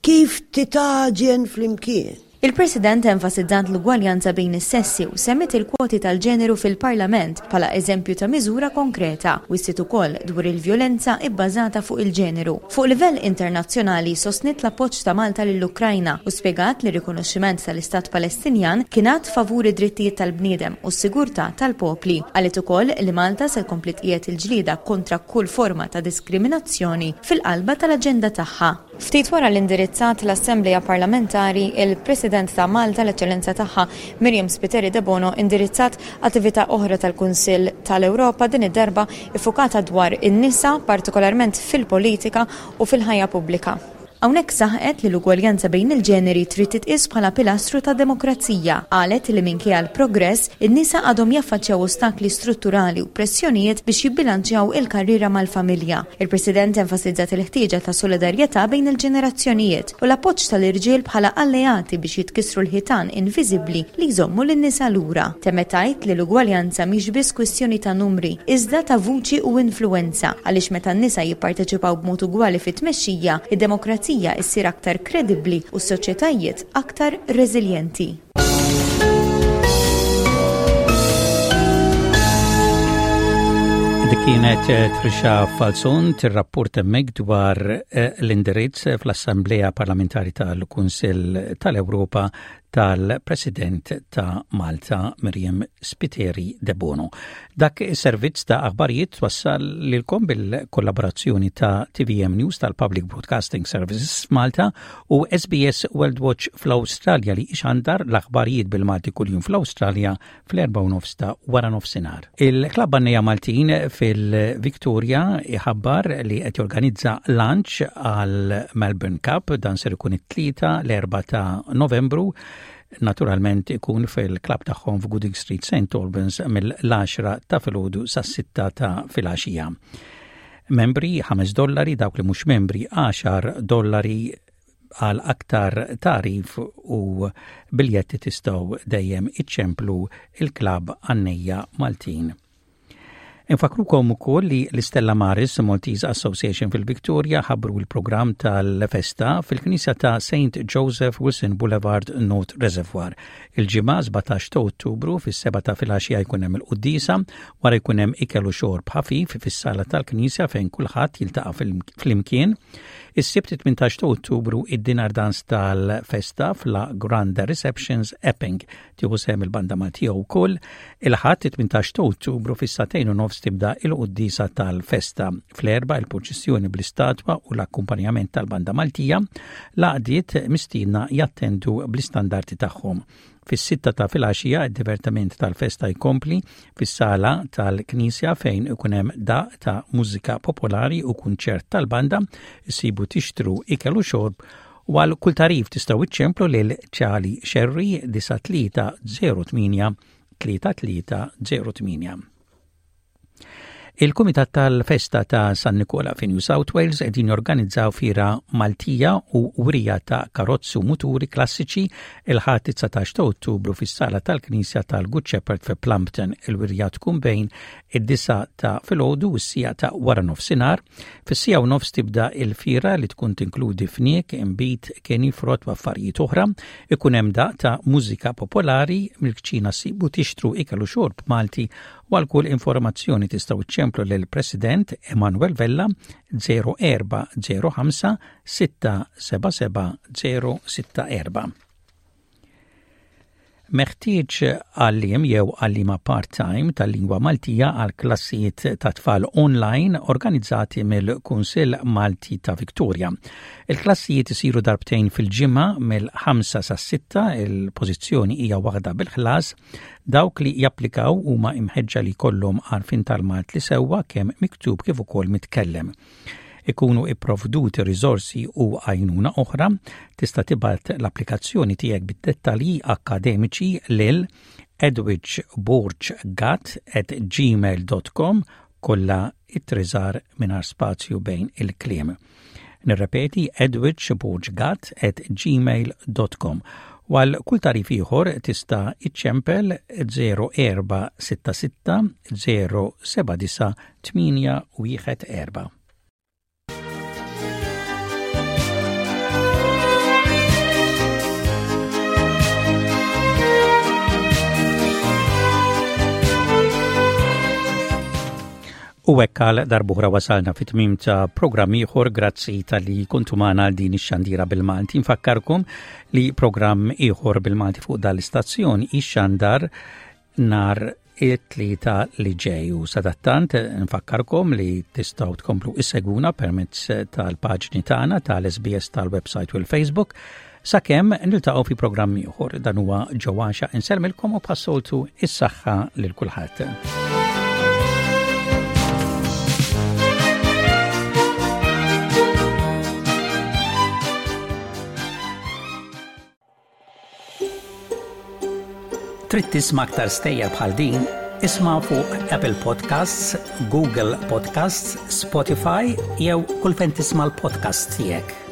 kif titgħaġen flimkien. Il-President enfasizzat l-ugwaljanza bejn is-sessi u semmiet il-kwoti tal-ġeneru fil-Parlament bħala eżempju ta' miżura konkreta. Wissiet ukoll dwar il-vjolenza ibbażata fuq il-ġeneru. Fuq livell internazzjonali sostniet l-appoġġ ta' Malta lill-Ukrajna u spjegat li r-rikonoxximent tal-Istat Palestinjan kien att favur id-drittijiet tal-bniedem u s-sigurtà tal-popli. Qalet ukoll li Malta se tkompli tqiegħed il-ġlieda kontra kull forma ta' diskriminazzjoni fil-qalba tal-aġenda tagħha. Ftit wara li indirizzat l-Assemblea Parlamentari, il-President ta' Malta, l-Eċċellenza Tagħha Myriam Spiteri Debono indirizzat attività oħra tal-Kunsill tal-Ewropa, din id-darba iffukata dwar in-nisa, partikolarment fil-politika u fil-ħajja pubblika. Hawnhekk saħqet li l-ugwaljanza bejn il-ġeneri trid titqies bħala pilastru tad-demokrazija. Qalet li minkejja l-progress, in-nisa għadhom jaffaċċjaw ostakli strutturali u pressjonijiet biex jibbilanċjaw il-karriera mal-familja. Il-President enfasizzat il-ħtieġa ta' solidarjetà bejn il-ġenerazzjonijiet u l-appoġġ tal-irġiel bħala alleati biex jitkissru l-ħitan inviżibbli li jżommu lin-nisa lura. Temmet tgħid li l-ugwaljanza mhix biss kwistjoni ta' numri, iżda ta' vuċi u influwenza, għaliex meta n-nisa jipparteċipaw b'mod ugwali fit-tmexxija, id-demokrazija issir aktar kredibbli u s-soċjetajiet aktar reżiljenti. Dik kienet eh, Trisha Falzon tirrapport hemmhekk dwar eh, l-indirizz fl-Assemblea Parlamentari tal-Kunsill tal-Ewropa tal-President ta' Malta Miriam Spiteri Debono. Dak is-servizz ta' aħbarijiet twassal lilkom bil-kollaborazzjoni ta' TVM News tal-Public Broadcasting Services Malta u SBS World Watch fl-Awstralja li ixandar l-aħbarijiet bil-Malti kuljum fl-Awstralja fl-erba' u nofs ta' wara nofsinhar. Il-Klabb Għannejja Maltin fil-Victoria iħabbar li qed jorganizza lunch għal Melbourne Cup dan ser ikun it-tlieta l-erba' ta' Novembru naturalment ikun fil-klabb tagħhom f'Gooding Street St. Albans mill-10 ta' filgħodu sas-6 ta' filgħaxija. Membri 5 dollari, dawk li mhux membri 10 dollari Għal aktar tagħrif u biljetti tistgħu dejjem iċċemplu il-Klabb Għannejja Maltin. Infakkrukom ukoll li l-Istella Maris Maltese Association fil-Victoria ħabbru l-programm tal-festa fil-Knisja ta' St. Joseph Wilson Boulevard North Reservoir. Il-Ġimgħa 17 ta' Ottubru fis-seba ta' filgħaxija jkun hemm il-quddiesa, wara jkun hemm ikel u xorb ħafif fis-sala tal-Knisja fejn kulħadd jiltaqa' flimkien. Is-Sibt 18 ta' Ottubru id-dinner dance tal-festa f'La Grande Receptions Epping tieħu sehem il-Banda Maltija wkoll. Il-Ħadd 18 ta' Ottubru fis-sagħtejn u nofs tibda il-quddiesa tal-festa. Fl-erba' il-purċissjoni bl-istatwa u l-akkumpanjament tal-Banda Maltija, l-għaqdiet mistiedna jattendu bl-istandarti tagħhom. Fis-sitta ta' filgħaxija id-divertiment tal-festa jkompli fis-sala tal-Knisja fejn ikun hemm daqq ta' mużika popolari u kunċert tal-banda, issibu tixtru ikel u xorb u għal kull tagħrif tistgħu iċċemplu lil Charlie Scerri 9308 3308. Il-Kumitat tal-Festa ta' San Nikola fi New South Wales qegħdin jorganizzaw fiera Maltija u wirja ta' karozzi u muturi klassiċi il-Ħadd 19 ta' Ottubru fis-sala tal-Knisja tal-Good Shepherd fi Plumpton. Il-wirja tkun bejn id-disa ta' filgħodu u s-sija ta' wara nofsinhar. Fis-sija u nofs tibda il-fiera li tkun tinkludi fniek, inbid, keni, frott u affarijiet oħra. Ikun hemm daq ta' mużika popolari, mill-kċina ssibu tixtru ikel u xorb Malti U għal kull informazzjoni tistgħu iċċemplu lil President Emanuel Vella 0405 677 064. Meħtieġ għalliem jew għalliema part-time tal-lingwa Maltija għal klassijiet ta' tfal online organizzati mill-Kunsill Malti ta' Victoria. Il-klassijiet isiru darbtejn fil-ġimgħa mill-5 sas-6, il-pożizzjoni hija waħda bil-ħlas Dawk li japplikaw huma imħeġġa li jkollhom għarfien tal-Malt li sewwa kemm miktub kif ukoll mitkellem. Ikunu ipprovduti riżorsi u għajnuna oħra, tista' tibgħat l-applikazzjoni tiegħek bid-dettalji akkademiċi lil edwidgeborggat at gmail.com kollha it-triżar mingħajr spazju bejn il-kliem. Nirrepeti edwidgeborggat at gmail.com U għal kull tarif ieħor tista' iċċempel 0466 079 814. U hekk għal darbuħra wasalna fit tmim ta' programm ieħor grazzi tal-li kontu magħna għal din ix-xandira bil-Malti. Nfakkarkom li programm ieħor bil-Malti fuq dal-istazzjon ixxandar nar it-tlieta li ġej u sadattant nfakkarkom li tistgħu tkomplu issegwuna permezz tal-paġni tagħna tal-SBS tal-website u l-Facebook sakemm niltaqgħu fi programm ieħor. Dan huwa ġewwaxa insellmilkom u bħas-soltu is-saħħa lil kulħadd. Trid tisma' aktar stejjer bħal din? Isma' fuq Apple Podcasts, Google Podcasts, Spotify jew kull fejn tisma' l-podcasts tiegħek.